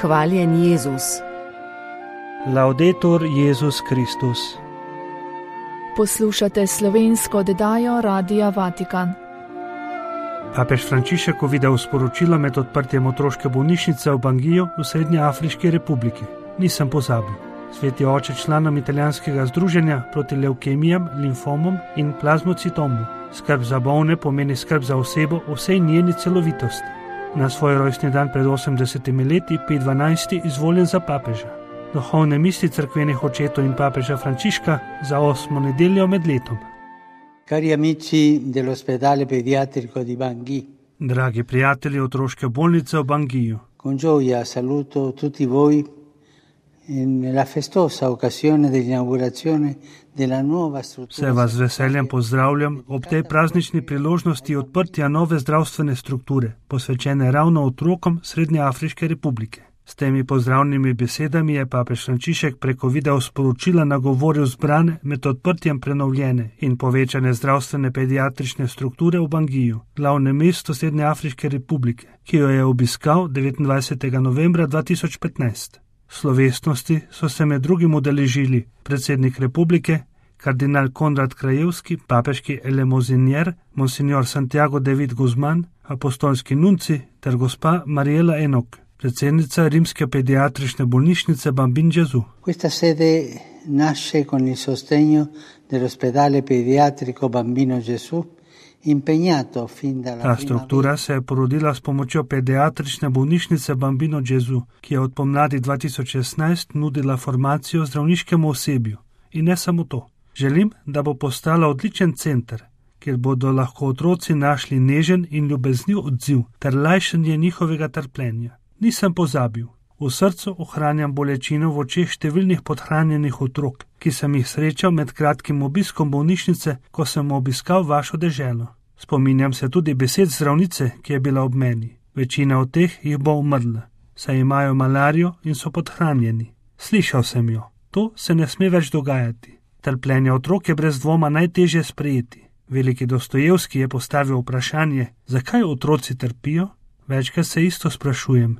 Hvaljen Jezus. Laudetur Jezus Kristus. Poslušate slovensko oddajo Radia Vatikan. Papež Frančišek videl sporočilo med odprtjem otroške bolnišnice v Bangiju v Srednjeafriški republiki. Nisem pozabil. Sveti oče članom italijanskega združenja proti levkemijam, limfomom in plazmocitomu. Skrb za bolne pomeni skrb za osebo v vsej njeni celovitosti. Na svoj rojstni dan pred 80 leti, Pij XII, izvoljen za papeža. Duhovne misli cerkvenih očetov in papeža Frančiška za 8. nedeljo med letom. Cari amici dell'ospedale pediatrico di Bangui. Dragi prijatelji otroške bolnice v Bangiju. Con gioia saluto tutti voi nella festosa occasione dell'inaugurazione della nuova struttura. Vse vas z veseljem pozdravljam ob tej praznični priložnosti odprtja nove zdravstvene strukture, posvečene ravno otrokom Srednjeafriške republike. S temi pozdravnimi besedami je papež Frančišek preko video sporočila nagovoril zbrane med odprtjem prenovljene in povečane zdravstvene pediatrične strukture v Bangiju, glavnem mestu Srednjeafriške republike, ki jo je obiskal 29. novembra 2015. Slovesnosti so se med drugim udeležili predsednik republike, kardinal Konrad Krajevski, papeški elemozinier, monsignor Santiago David Guzman, apostolski nunci ter gospa Mariela Enok, predsednica Rimske pediatrične bolnišnice Bambino Gesù. Questa sede nasce con il sostegno dell'ospedale pediatrico Bambino Gesù, impegnato fin dalla Ta struktura se je porodila s pomočjo pediatrične bolnišnice Bambino Gesù, ki je od pomladi 2016 nudila formacijo zdravniškemu osebju. In ne samo to. Želim, da bo postala odličen center, kjer bodo lahko otroci našli nežen in ljubezniv odziv ter lajšanje njihovega trpljenja. Nisem pozabil. V srcu ohranjam bolečino v očeh številnih podhranjenih otrok, ki sem jih srečal med kratkim obiskom bolnišnice, ko sem obiskal vašo deželo. Spominjam se tudi besed zdravnice, ki je bila ob meni. Večina od teh jih bo umrla, saj imajo malarijo in so podhranjeni. Slišal sem jo. To se ne sme več dogajati. Trpljenje otrok je brez dvoma najtežje sprejeti. Veliki Dostojevski je postavil vprašanje, zakaj otroci trpijo? Večkrat se isto sprašujem,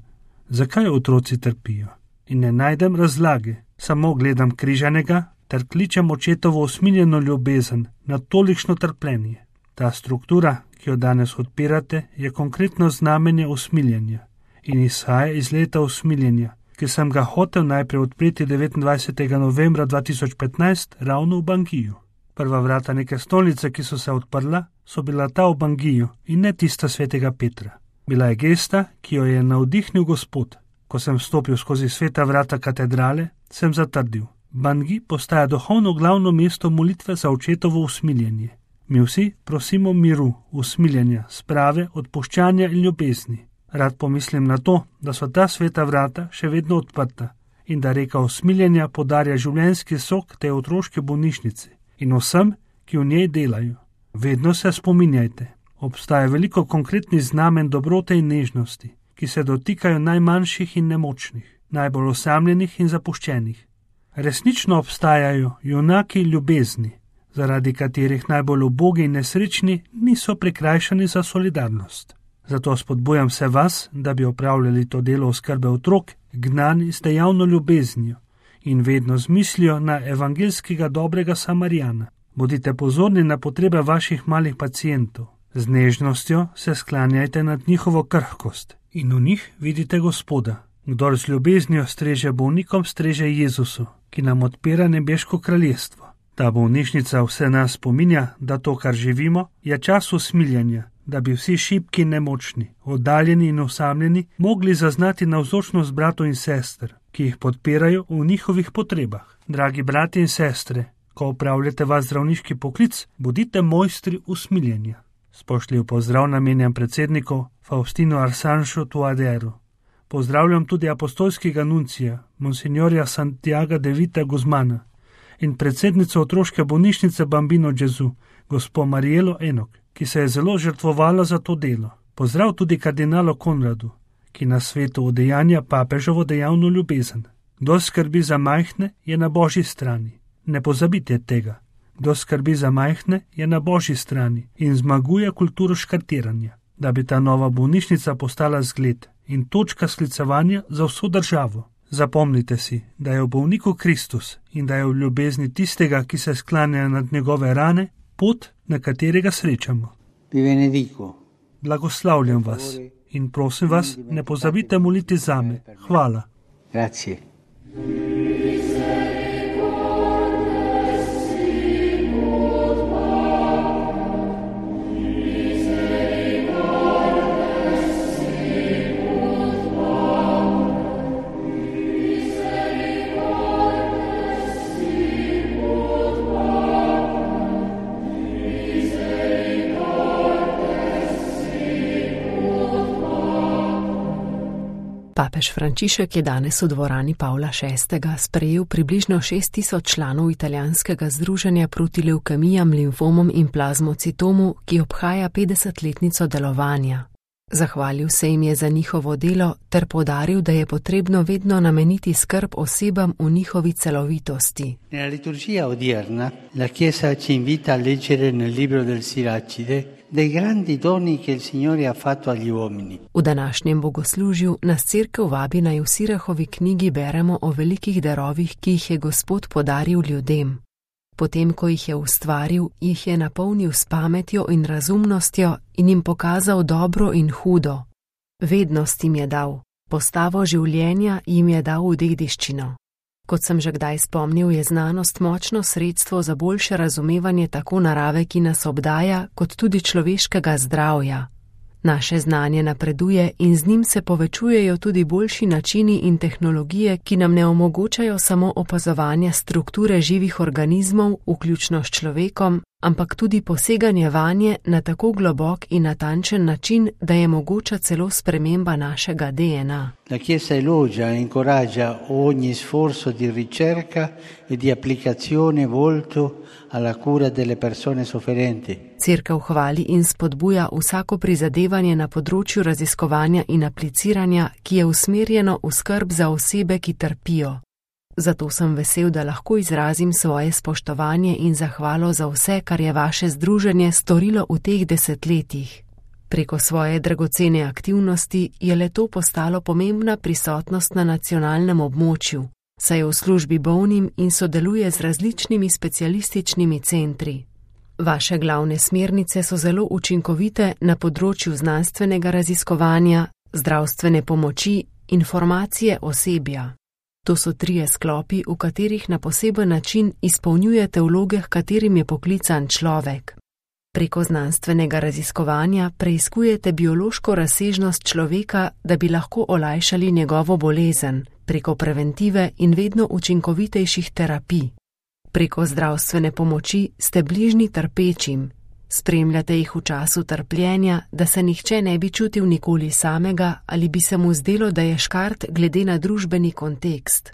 zakaj otroci trpijo? In ne najdem razlage, samo gledam križanega ter kličem očetovo usmiljeno ljubezen na tolikšno trpljenje. Ta struktura, ki jo danes odpirate, je konkretno znamenje usmiljenja in izhaja iz leta usmiljenja, ki sem ga hotel najprej odpreti 29. novembra 2015 ravno v Bangiju. Prva vrata neke stolnice, ki so se odprla, so bila ta v Bangiju in ne tista svetega Petra. Bila je gesta, ki jo je navdihnil Gospod. Ko sem stopil skozi sveta vrata katedrale, sem zatrdil. Bangi postaja duhovno glavno mesto molitve za očetovo usmiljenje. Mi vsi prosimo miru, usmiljenja, sprave, odpuščanja in ljubezni. Rad pomislim na to, da so ta sveta vrata še vedno odprta in da reka usmiljenja podarja življenjski sok te otroške bolnišnice in vsem, ki v njej delajo. Vedno se spominjajte. Obstaja veliko konkretnih znamen dobrote in nežnosti, ki se dotikajo najmanjših in nemočnih, najbolj osamljenih in zapuščenih. Resnično obstajajo junaki ljubezni, zaradi katerih najbolj ubogi in nesrečni niso prikrajšani za solidarnost. Zato spodbujam vse vas, da bi opravljali to delo oskrbe otrok, gnani z dejavno ljubeznijo in vedno z mislijo na evangelskega dobrega Samarijana. Bodite pozorni na potrebe vaših malih pacientov. Z nežnostjo se sklanjajte nad njihovo krhkost in v njih vidite Gospoda. Kdor z ljubeznijo streže bolnikom, streže Jezusu, ki nam odpira nebeško kraljestvo. Ta bolnišnica vse nas spominja, da to, kar živimo, je čas usmiljenja, da bi vsi šibki in nemočni, oddaljeni in osamljeni, mogli zaznati navzočnost bratov in sester, ki jih podpirajo v njihovih potrebah. Dragi brati in sestre, ko opravljate vaš zdravniški poklic, bodite mojstri usmiljenja. Spoštljiv pozdrav namenjam predsedniku Faustinu Arsanšu Tuaderu. Pozdravljam tudi apostolskega nuncija, monsignorja Santiaga Davida Guzmana in predsednico otroške bolnišnice Bambino Gesù, gospo Marielo Enok, ki se je zelo žrtvovala za to delo. Pozdrav tudi kardinalu Konradu, ki na svetu udejanja papežovo dejavno ljubezen. Kdor skrbi za majhne, je na Božji strani. Ne pozabite tega. Kdor skrbi za majhne, je na Božji strani in zmaguje kulturo škartiranja. Da bi ta nova bolnišnica postala zgled, in točka sklicevanja za vso državo. Zapomnite si, da je v bolniku Kristus in da je v ljubezni tistega, ki se sklanja nad njegove rane, pot, na katerega srečamo. Vi benedico. Blagoslavljam vas in prosim vas, ne pozabite moliti zame. Hvala. Grazie. Papež Frančišek je danes v dvorani Pavla VI. Sprejel približno 6.000 članov italijanskega združenja proti levkemijam, limfomom in plazmocitomu, ki obhaja 50-letnico delovanja. Zahvalil se jim je za njihovo delo ter poudaril, da je potrebno vedno nameniti skrb osebam v njihovi celovitosti. Nella liturgia odierna, la Chiesa ci invita a leggere nel libro del Siracide dei grandi doni che il Signore ha fatto agli uomini. V današnjem bogoslužju nas Cerkev vabi, naj v Sirahovi knjigi beremo o velikih darovih, ki jih je Gospod podaril ljudem. Potem, ko jih je ustvaril, jih je napolnil s pametjo in razumnostjo in jim pokazal dobro in hudo. Vednost jim je dal, postavo življenja jim je dal v dediščino. Kot sem že kdaj spomnil, je znanost močno sredstvo za boljše razumevanje tako narave, ki nas obdaja, kot tudi človeškega zdravja. Naše znanje napreduje in z njim se povečujejo tudi boljši načini in tehnologije, ki nam ne omogočajo samo opazovanja strukture živih organizmov, vključno s človekom, ampak tudi poseganje vanje na tako globok in natančen način, da je mogoča celo sprememba našega DNA. La Chiesa elogia e incoraggia ogni sforzo di ricerca e di applicazione volto alla cura delle persone sofferenti. Cerkev hvali in spodbuja vsako prizadevanje na področju raziskovanja in apliciranja, ki je usmerjeno v skrb za osebe, ki trpijo. Zato sem vesel, da lahko izrazim svoje spoštovanje in zahvalo za vse, kar je vaše združenje storilo v teh desetletjih. Preko svoje dragocene aktivnosti je le-to postalo pomembna prisotnost na nacionalnem območju, saj je v službi bolnim in sodeluje z različnimi specialističnimi centri. Vaše glavne smernice so zelo učinkovite na področju znanstvenega raziskovanja, zdravstvene pomoči in formacije osebja. To so 3 sklopi, v katerih na poseben način izpolnjujete vloge, h katerim je poklican človek. Preko znanstvenega raziskovanja preiskujete biološko razsežnost človeka, da bi lahko olajšali njegovo bolezen, preko preventive in vedno učinkovitejših terapij. Preko zdravstvene pomoči ste bližnji trpečim, spremljate jih v času trpljenja, da se nihče ne bi čutil nikoli samega ali bi se mu zdelo, da je škart glede na družbeni kontekst.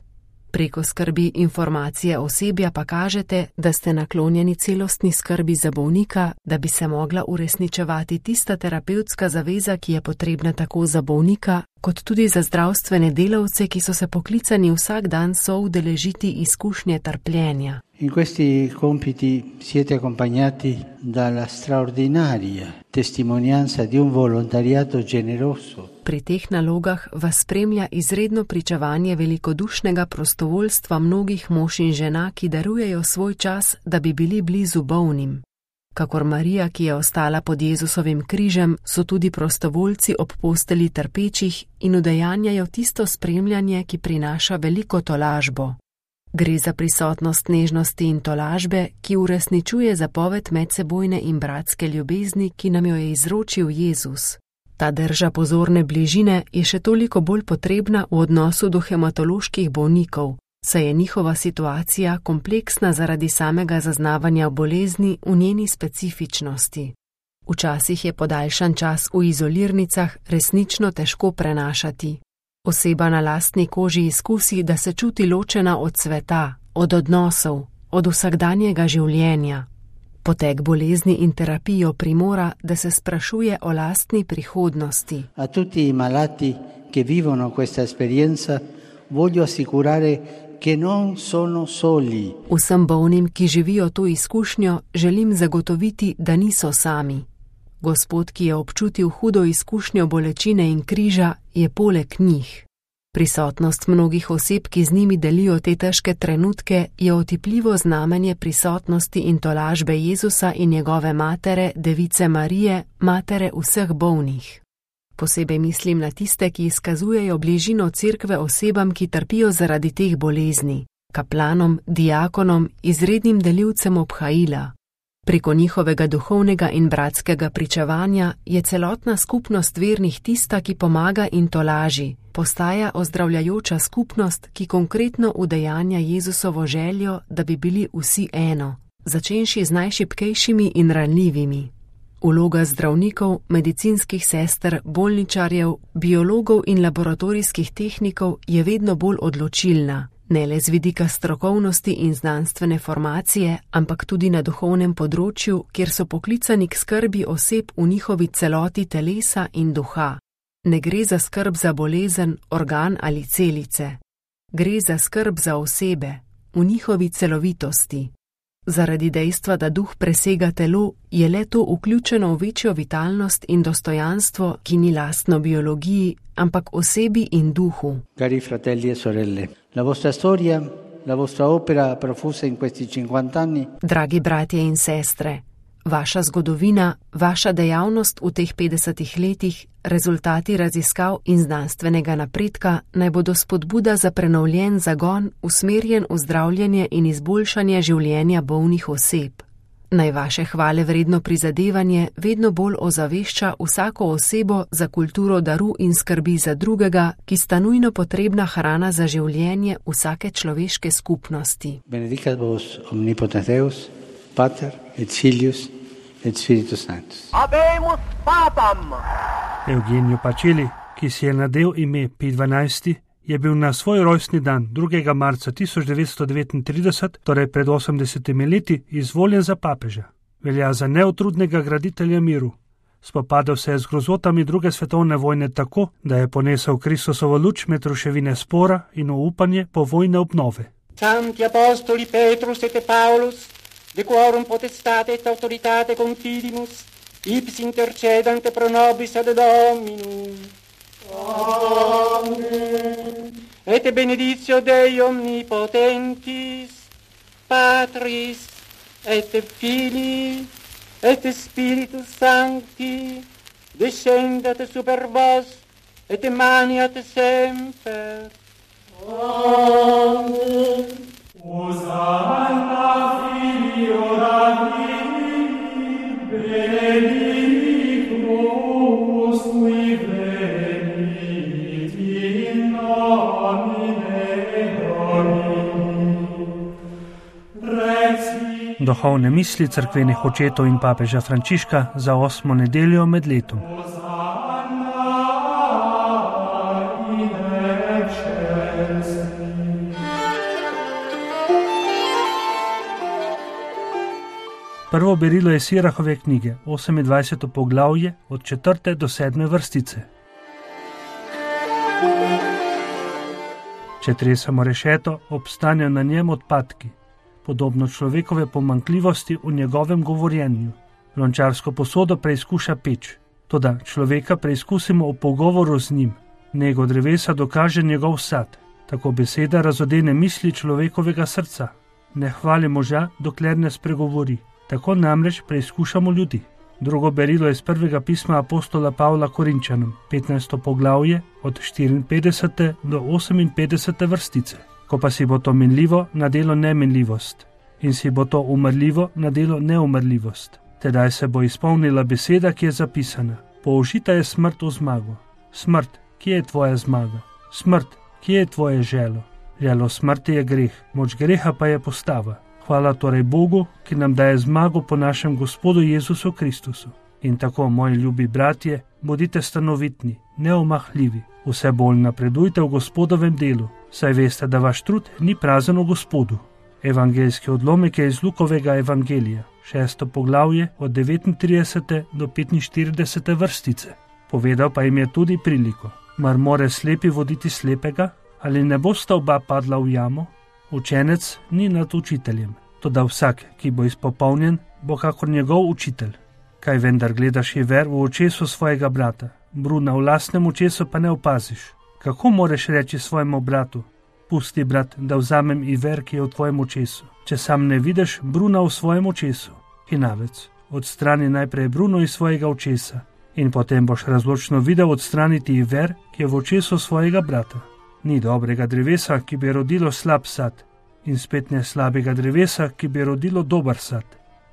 Preko skrbi informacije osebja pa kažete, da ste naklonjeni celostni skrbi za bolnika, da bi se mogla uresničevati tista terapevtska zaveza, ki je potrebna tako za bolnika, kot tudi za zdravstvene delavce, ki so se poklicani vsak dan soudeležiti izkušnje trpljenja. In questi compiti siete accompagnati dalla straordinaria testimonianza di un volontariato generoso. Pri teh nalogah vas spremlja izredno pričevanje velikodušnega prostovoljstva mnogih mož in žena, ki darujejo svoj čas, da bi bili blizu bolnim. Kakor Marija, ki je ostala pod Jezusovim križem, so tudi prostovoljci ob posteli trpečih in udejanjajo tisto spremljanje, ki prinaša veliko tolažbo. Gre za prisotnost nežnosti in tolažbe, ki uresničuje zapoved medsebojne in bratske ljubezni, ki nam jo je izročil Jezus. Ta drža pozorne bližine je še toliko bolj potrebna v odnosu do hematoloških bolnikov, saj je njihova situacija kompleksna zaradi samega zaznavanja bolezni v njeni specifičnosti. Včasih je podaljšan čas v izolirnicah resnično težko prenašati. Oseba na lastni koži izkusi, da se čuti ločena od sveta, od odnosov, od vsakdanjega življenja. Potek bolezni in terapijo primora, da se sprašuje o lastni prihodnosti. A tutti i malati che vivono questa esperienza voglio assicurare che non sono soli. Vsem bolnim, ki živijo to izkušnjo, želim zagotoviti, da niso sami. Gospod, ki je občutil hudo izkušnjo bolečine in križa, je poleg njih. Prisotnost mnogih oseb, ki z njimi delijo te težke trenutke, je otipljivo znamenje prisotnosti in tolažbe Jezusa in njegove matere, Device Marije, matere vseh bolnih. Posebej mislim na tiste, ki izkazujejo bližino cerkve osebam, ki trpijo zaradi teh bolezni, kaplanom, diakonom, izrednim delivcem obhajila. Preko njihovega duhovnega in bratskega pričevanja je celotna skupnost vernih tista, ki pomaga in tolaži, postaja ozdravljajoča skupnost, ki konkretno udejanja Jezusovo željo, da bi bili vsi eno, začenši z najšibkejšimi in ranljivimi. Vloga zdravnikov, medicinskih sester, bolničarjev, biologov in laboratorijskih tehnikov je vedno bolj odločilna, ne le z vidika strokovnosti in znanstvene formacije, ampak tudi na duhovnem področju, kjer so poklicani k skrbi oseb v njihovi celoti telesa in duha. Ne gre za skrb za bolezen, organ ali celice. Gre za skrb za osebe, v njihovi celovitosti. Zaradi dejstva, da duh presega telo, je le to vključeno v večjo vitalnost in dostojanstvo, ki ni lastno biologiji, ampak osebi in duhu. Cari fratelli e sorelle, la vostra storia, la vostra opera profusa in questi 50 anni. Dragi bratje in sestre, vaša zgodovina, vaša dejavnost v teh 50 letih, rezultati raziskav in znanstvenega napredka naj bodo spodbuda za prenovljen zagon, usmerjen v zdravljenje in izboljšanje življenja bolnih oseb. Naj vaše hvale vredno prizadevanje vedno bolj ozavešča vsako osebo za kulturo daru in skrbi za drugega, ki sta nujno potrebna hrana za življenje vsake človeške skupnosti. Benedicat vos omnipotens Deus, Pater et Filius et Spiritus Sanctus. Habemus papam! Eugenio Pacelli, ki si je nadel ime Pij XII, je bil na svoj rojstni dan 2. marca 1939, torej pred 80 leti, izvoljen za papeža. Velja za neutrudnega graditelja miru. Spopadal se je z grozotami druge svetovne vojne tako, da je ponesel Kristusovo luč med ruševine spora in upanje po vojne obnove. Santi apostoli Petrus et Paulus, de quorum potestate et autoritate confidimus, ipsi intercedante pro nobis ad Dominum. Amen. Et benedictio Dei omnipotentis, Patris et Filii et Spiritus Sancti, descendat super vos et emaniat semper. Amen. Hosanna Filio Davidi, benedictus qui venit in nomine Domini. Duhovne misli cerkvenih očetov in papeža Frančiška za 8. nedeljo med letom. Prvo berilo je Sirahove knjige, 28. poglavje, od 4. do 7. vrstice. Če tresamo rešeto, obstanejo na njem odpadki, podobno človekove pomanjkljivosti v njegovem govorjenju. Lončarsko posodo preizkuša peč, toda človeka preizkusimo v pogovoru z njim. Nego drevesa dokaže njegov sad, tako beseda razodene misli človekovega srca. Ne hvali moža, dokler ne spregovori. Tako namreč preizkušamo ljudi. Drugo berilo je iz prvega pisma apostola Pavla Korinčanom, 15. poglavje, od 54. do 58. vrstice. Ko pa si bo to minljivo, nadelo neminljivost, in si bo to umrljivo, nadelo neumrljivost. Tedaj se bo izpolnila beseda, ki je zapisana. Použita je smrt v zmago. Smrt, kje je tvoja zmaga? Smrt, kje je tvoje želo? Želo smrti je greh, moč greha pa je postava. Hvala torej Bogu, ki nam daje zmago po našem Gospodu Jezusu Kristusu. In tako, moji ljubi bratje, bodite stanovitni, neomahljivi, vse bolj napredujte v Gospodovem delu, saj veste, da vaš trud ni prazen v Gospodu. Evangeljski odlomek je iz Lukovega evangelija, 6. poglavje, od 39. do 45. vrstice. Povedal pa jim je tudi priliko. Mar more slepi voditi slepega, ali ne bosta oba padla v jamo? Učenec ni nad učiteljem, toda vsak, ki bo izpopolnjen, bo kakor njegov učitelj. Kaj vendar gledaš Iver v očesu svojega brata, bruna v lastnem očesu pa ne opaziš? Kako moreš reči svojemu bratu: pusti, brat, da vzamem Iver, ki je v tvojem očesu, če sam ne vidiš bruna v svojem očesu? Hinavec, odstrani najprej bruno iz svojega očesa in potem boš razločno videl odstraniti Iver, ki je v očesu svojega brata. Ni dobrega drevesa, ki bi rodilo slab sad, in spet ne slabega drevesa, ki bi rodilo dober sad.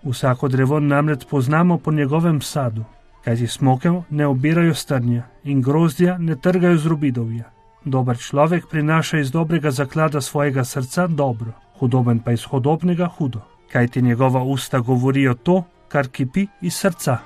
Vsako drevo namreč poznamo po njegovem sadu, kajti smokev ne obirajo strnja in grozdja ne trgajo z robidovja. Dober človek prinaša iz dobrega zaklada svojega srca dobro, hudoben pa iz hudobnega hudo, kajti njegova usta govorijo to, kar kipi iz srca.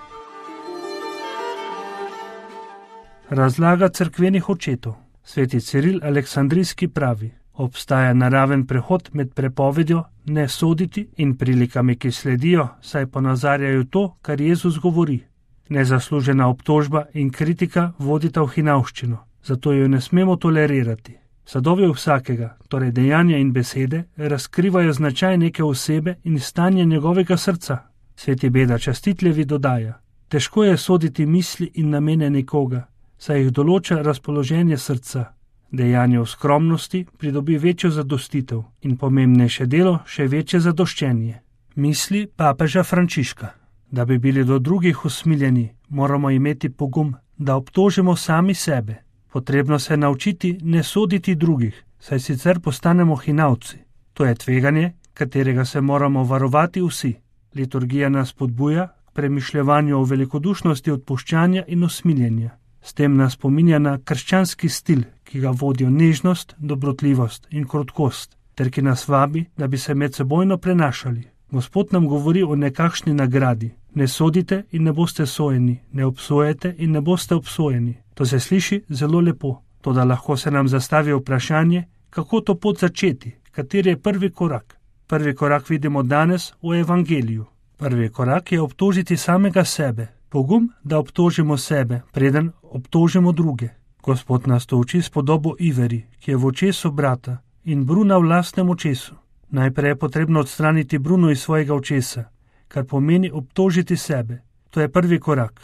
Razlaga cerkvenih očetov. Sveti Ciril Aleksandrijski pravi: obstaja naraven prehod med prepovedjo ne soditi in prilikami, ki sledijo, saj ponazarjajo to, kar Jezus govori. Nezaslužena obtožba in kritika vodita v hinavščino, zato jo ne smemo tolerirati. Sadovi vsakega, torej dejanja in besede, razkrivajo značaj neke osebe in stanje njegovega srca. Sveti Beda Častitljevi dodaja: težko je soditi misli in namene nekoga, saj jih določa razpoloženje srca. Dejanje v skromnosti pridobi večjo zadostitev in pomembnejše delo še večje zadoščenje. Misli papeža Frančiška. Da bi bili do drugih usmiljeni, moramo imeti pogum, da obtožimo sami sebe. Potrebno se naučiti ne soditi drugih, saj sicer postanemo hinavci. To je tveganje, katerega se moramo varovati vsi. Liturgija nas spodbuja k premišljevanju o velikodušnosti odpuščanja in usmiljenja. S tem nas spominja na krščanski stil, ki ga vodijo nežnost, dobrotljivost in krotkost, ter ki nas vabi, da bi se medsebojno prenašali. Gospod nam govori o nekakšni nagradi. Ne sodite in ne boste sojeni, ne obsojete in ne boste obsojeni. To se sliši zelo lepo, toda lahko se nam zastavi vprašanje, kako to pot začeti, kateri je prvi korak. Prvi korak vidimo danes v Evangeliju. Prvi korak je obtožiti samega sebe. Pogum, da obtožimo sebe, preden obtožimo druge. Gospod nas to uči s podobo Iveri, ki je v očesu brata, in bruna v lastnem očesu. Najprej je potrebno odstraniti bruno iz svojega očesa, kar pomeni obtožiti sebe. To je prvi korak.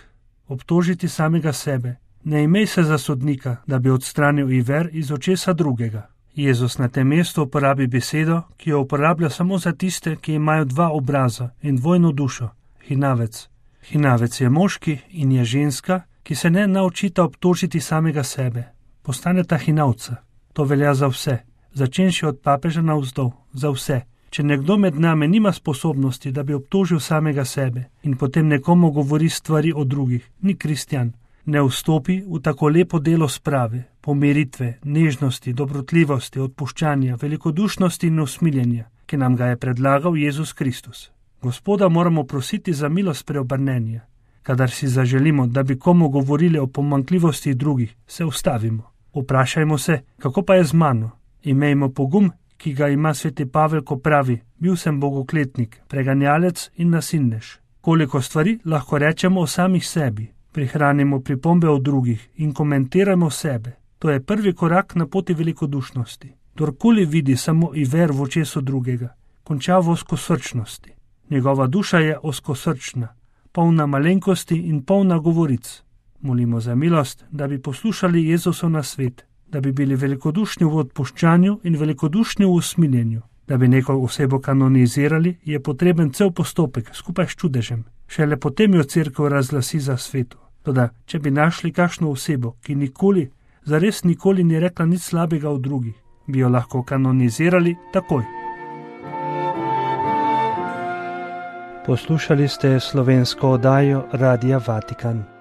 Obtožiti samega sebe. Ne imej se za sodnika, da bi odstranil Iver iz očesa drugega. Jezus na tem mestu uporabi besedo, ki jo uporablja samo za tiste, ki imajo dva obraza in dvojno dušo. Hinavec. Hinavec je moški in je ženska, ki se ne naučita obtožiti samega sebe. Postaneta hinavca. To velja za vse. Začenši od papeža navzdol, za vse. Če nekdo med nami nima sposobnosti, da bi obtožil samega sebe in potem nekomu govori stvari o drugih, ni kristjan. Ne vstopi v tako lepo delo sprave, pomiritve, nežnosti, dobrotljivosti, odpuščanja, velikodušnosti in usmiljenja, ki nam ga je predlagal Jezus Kristus. Gospoda moramo prositi za milost preobrnenja. Kadar si zaželimo, da bi komu govorili o pomanjkljivosti drugih, se ustavimo. Vprašajmo se, kako pa je z mano? Imejmo pogum, ki ga ima sveti Pavel, ko pravi: bil sem bogokletnik, preganjalec in nasilnež. Koliko stvari lahko rečemo o samih sebi. Prihranimo pripombe o drugih in komentirajmo sebe. To je prvi korak na poti velikodušnosti. Kdorkoli vidi samo Iver v očesu drugega, konča v ozkosrčnosti. Njegova duša je ozkosrčna, polna malenkosti in polna govoric. Molimo za milost, da bi poslušali Jezusov nasvet, da bi bili velikodušni v odpuščanju in velikodušni v usmiljenju. Da bi neko osebo kanonizirali, je potreben cel postopek skupaj s čudežem. Šele potem jo cerkev razglasi za sveto. Toda, če bi našli kakšno osebo, ki nikoli, zares nikoli ni rekla nič slabega o drugih, bi jo lahko kanonizirali takoj. Poslušali ste slovensko oddajo Radia Vatikan.